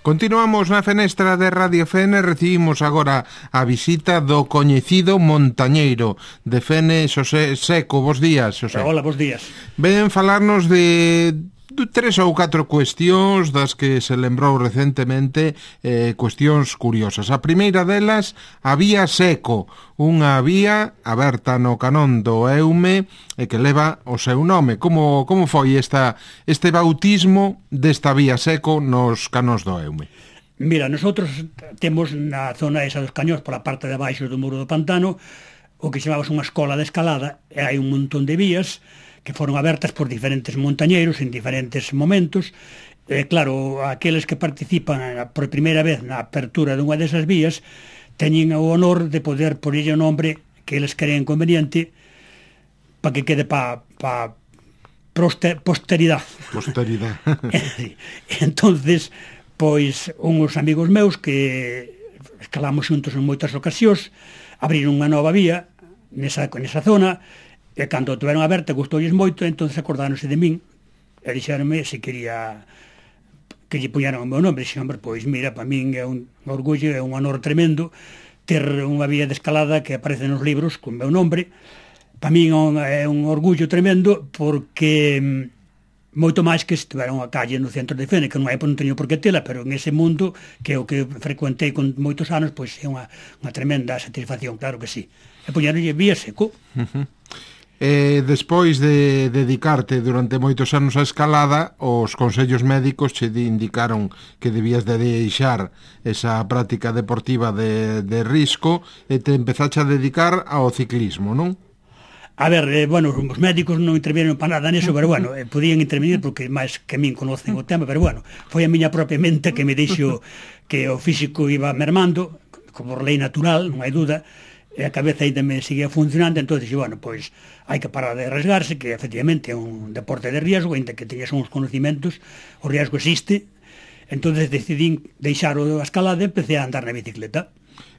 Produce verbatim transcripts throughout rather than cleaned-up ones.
Continuamos na fenestra de Radio Fene, recibimos agora a visita do coñecido montañeiro de Fene, Xosé Seco. Bos días, Xosé. Hola, bos días. Ven falarnos de tres ou catro cuestións das que se lembrou recentemente, eh, cuestións curiosas. A primeira delas, a vía Seco, unha vía aberta no canón do Eume e que leva o seu nome. Como, como foi esta, este bautismo desta vía Seco nos canóns do Eume? Mira, nosotros temos na zona esa dos cañóns, pola parte de abaixo do muro do pantano, o que chamamos unha escola de escalada, e hai un montón de vías que foron abertas por diferentes montañeiros en diferentes momentos. E claro, aqueles que participan por primeira vez na apertura dunha desas vías teñen o honor de poder porlle o nombre que eles creen conveniente para que quede para pa posteridade. Posteridade. Entonces, pois, uns amigos meus que escalamos xuntos en moitas ocasións, abriron unha nova vía nesa, nesa zona, e cando tuveron aberta gustoulles moito, entonces acordáronse de min e dixeronme se quería que lle puñeran o meu nome. Dixen, hombre, pois mira, para min é un orgullo, é un honor tremendo ter unha vía de escalada que aparece nos libros con meu nombre. Para min é un orgullo tremendo porque moito máis que estiveron a calle no centro de Fene, que non é non teño por que tela, pero en ese mundo que é o que frecuentei con moitos anos, pois é unha, unha tremenda satisfacción, claro que sí. E puñeronlle vía Seco. Uh-huh. E despois de dedicarte durante moitos anos á escalada, os consellos médicos che indicaron que debías de deixar esa práctica deportiva de, de risco e te empezaste a dedicar ao ciclismo, non? A ver, eh, bueno, os médicos non intervinieron para nada neso, pero bueno, eh, podían intervenir porque máis que a min conocen o tema, pero bueno, foi a miña propia mente que me dixo que o físico iba mermando, como por lei natural, non hai duda, e a cabeza ainda me seguía funcionando, entón dixo, bueno, pois hai que parar de arriesgarse, que efectivamente é un deporte de riesgo, ainda que teñas uns conocimientos, o riesgo existe. Entón decidín deixar a escalada e empecé a andar na bicicleta.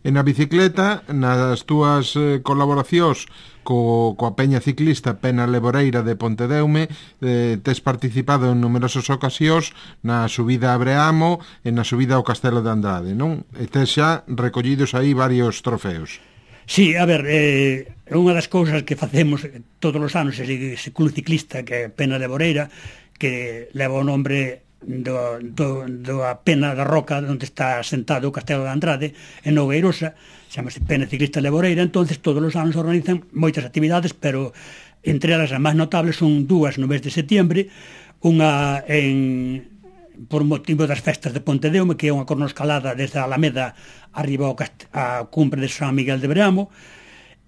E na bicicleta, nas túas eh, colaboracións co, coa Peña Ciclista Pena Leboreira de Pontedeume, eh, tes participado en numerosas ocasións na subida a Breamo e na subida ao Castelo de Andrade, non? E tes xa recollidos aí varios trofeos. Sí, a ver, é eh, unha das cousas que facemos todos os anos ese, ese club ciclista que é Pena Leboreira, que leva o nombre do, do, do a Pena da Roca onde está sentado o Castelo de Andrade en Nogueirosa, chamase Pena Ciclista Leboreira. Entonces todos os anos organizan moitas actividades, pero entre elas as máis notables son dúas no mes de setiembre, unha en por motivo das festas de Pontedeume, que é unha cornoscalada desde a Alameda arriba ao cast- a cumbre de San Miguel de Breamo,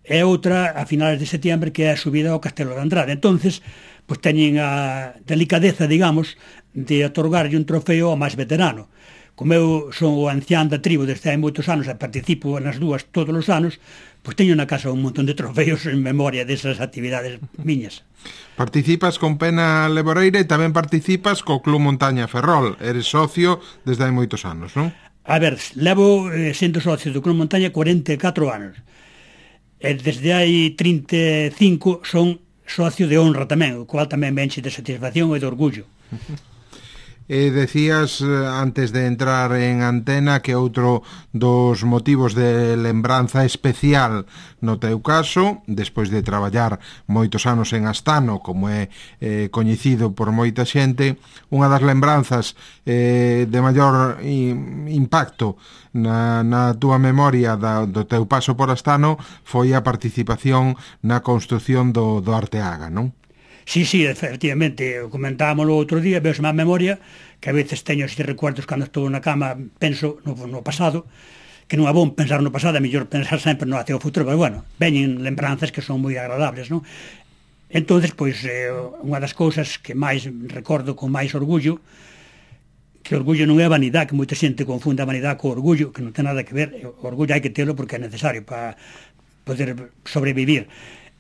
e outra a finales de setiembre, que é a subida ao Castelo de Andrade. Entonces, pois teñen a delicadeza, digamos, de otorgarlle un trofeo ao máis veterano. Como eu son o ancián da tribo desde hai moitos anos e participo nas dúas todos os anos, pois teño na casa un montón de trofeos en memoria desas actividades miñas. Participas con Pena Leboreira e tamén participas co Club Montaña Ferrol. Eres socio desde hai moitos anos, non? A ver, levo eh, sendo socio do Club Montaña cuarenta e catro anos. E desde hai trinta e cinco son socio de honra tamén, o cual tamén me enche de satisfacción e de orgullo. E decías antes de entrar en antena que outro dos motivos de lembranza especial no teu caso, despois de traballar moitos anos en Astano, como é eh, coñecido por moita xente, unha das lembranzas eh, de maior impacto na, na túa memoria da, do teu paso por Astano foi a participación na construción do, do Arteaga, non? Sí, sí, efectivamente, comentámoslo outro día, veo má memoria, que a veces teño estes recuerdos cando estou na cama, penso no, no pasado, que non é bom pensar no pasado, é mellor pensar sempre no hacia o futuro, pero bueno, veñen lembranzas que son moi agradables, non? Entonces, pois, eh, unha das cousas que máis recordo con máis orgullo, que orgullo non é vanidade, que moita xente confunde a vanidade co orgullo, que non ten nada que ver, o orgullo hai que telo porque é necesario para poder sobrevivir.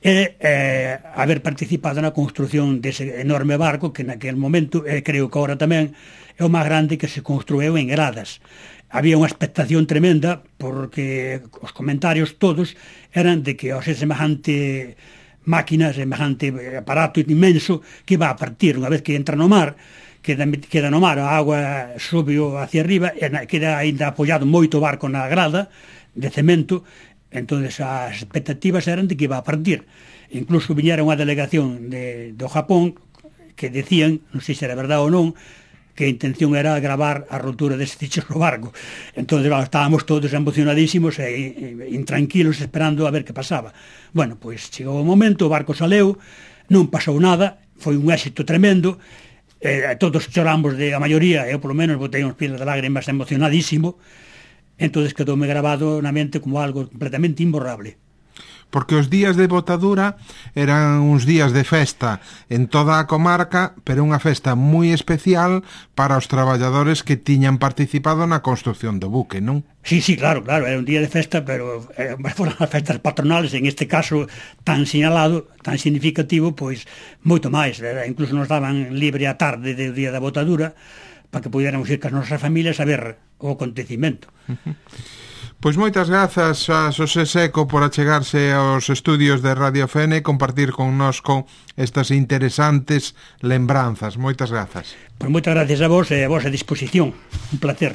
E eh, haber participado na construción dese enorme barco que naquele momento, e creo que agora tamén é o máis grande que se construiu en Gradas. Había unha expectación tremenda porque os comentarios todos eran de que ao ser semejante máquinas, semejante aparato inmenso que iba a partir unha vez que entra no mar, queda, queda no mar, a agua sube hacia arriba e queda ainda apoiado moito barco na grada de cemento. Entonces as expectativas eran de que iba a partir. Incluso viñera unha delegación de, do Japón que decían, non sei se era verdade ou non, que a intención era gravar a rotura dese ticho no barco. Entón, bueno, estábamos todos emocionadísimos e, e intranquilos esperando a ver que pasaba. Bueno, pois chegou o momento, o barco saleu, non pasou nada, foi un éxito tremendo, eh, todos choramos, de a maioría, eu polo menos botei uns pilas de lágrimas emocionadísimo. Entón quedoume grabado na mente como algo completamente imborrable. Porque os días de botadura eran uns días de festa en toda a comarca, pero unha festa moi especial para os traballadores que tiñan participado na construción do buque, non? Sí, sí, claro, claro, era un día de festa, pero eh, foron as festas patronales, en este caso tan sinalado, tan significativo, pois moito máis, era, incluso nos daban libre a tarde do día da botadura para que pudiéramos ir cas nosas familias a ver o acontecimento. Uh-huh. Pois moitas grazas a Xosé Seco por achegarse aos estudios de Radio Fene e compartir connosco estas interesantes lembranzas. Moitas grazas. Pois moitas gracias a vos e a vosa disposición. Un placer.